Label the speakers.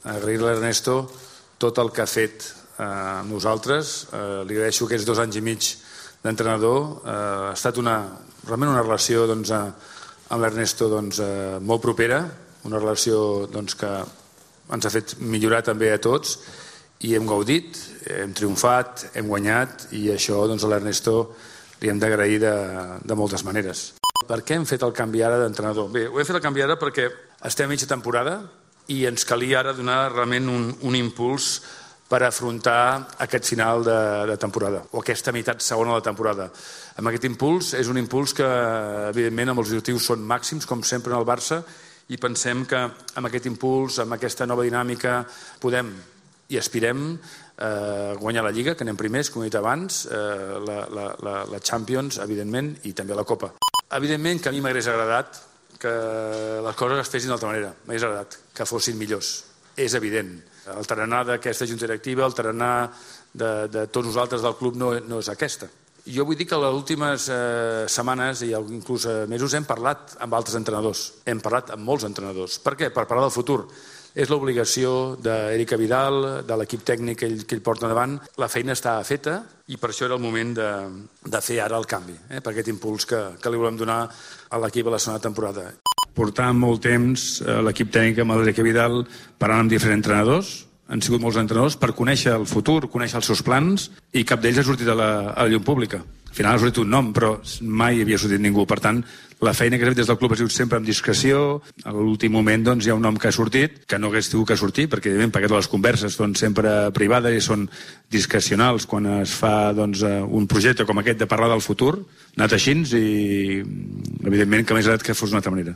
Speaker 1: agrair-li a l'Ernesto tot el que ha fet amb nosaltres. Li agraeixo aquests 2 anys i mig d'entrenador. Ha estat realment una relació amb l'Ernesto molt propera, una relació que ens ha fet millorar també a tots, i hem gaudit, hem triomfat, hem guanyat, i això a l'Ernesto li hem d'agrair de moltes maneres. Per què hem fet el canvi ara d'entrenador? Bé, ho hem fet el canvi ara perquè estem a mitja temporada i ens calia ara donar realment un impuls per afrontar aquest final de temporada, o aquesta meitat segona de la temporada. Amb aquest impuls és un impuls que, evidentment, amb els objectius són màxims, com sempre en el Barça, i pensem que amb aquest impuls, amb aquesta nova dinàmica, podem i aspirem a guanyar la Lliga, que anem primers, com he dit abans, la Champions, evidentment, i també la Copa. Evidentment que a mi m'hagués agradat que les coses es fessin d'altra manera. M'hagués agradat que fossin millors. És evident. El tarannà d'aquesta junta directiva, el tarannà de tots nosaltres del club no és aquesta. Jo vull dir que les últimes setmanes i inclús mesos hem parlat amb altres entrenadors. Hem parlat amb molts entrenadors. Per què? Per parlar del futur. És l'obligació d'Eric Vidal, de l'equip tècnic que ell porta endavant. La feina està feta i per això era el moment de fer ara el canvi, per aquest impuls que li volem donar a l'equip a la segona temporada. Portar molt temps l'equip tècnic amb l'Eric Vidal parlant amb diferents entrenadors. Han sigut molts entrenadors per conèixer el futur, conèixer els seus plans, i cap d'ells ha sortit a la llum pública. Al final ha sortit un nom, però mai havia sortit ningú. Per tant, la feina que s'ha fet des del club ha sigut sempre amb discreció. A l'últim moment hi ha un nom que ha sortit, que no hagués tingut que sortir, perquè perquè totes les converses són sempre privades i són discrecionals quan es fa un projecte com aquest de parlar del futur. Ha anat així i, evidentment, que m'hagués agradat que fos d'una altra manera.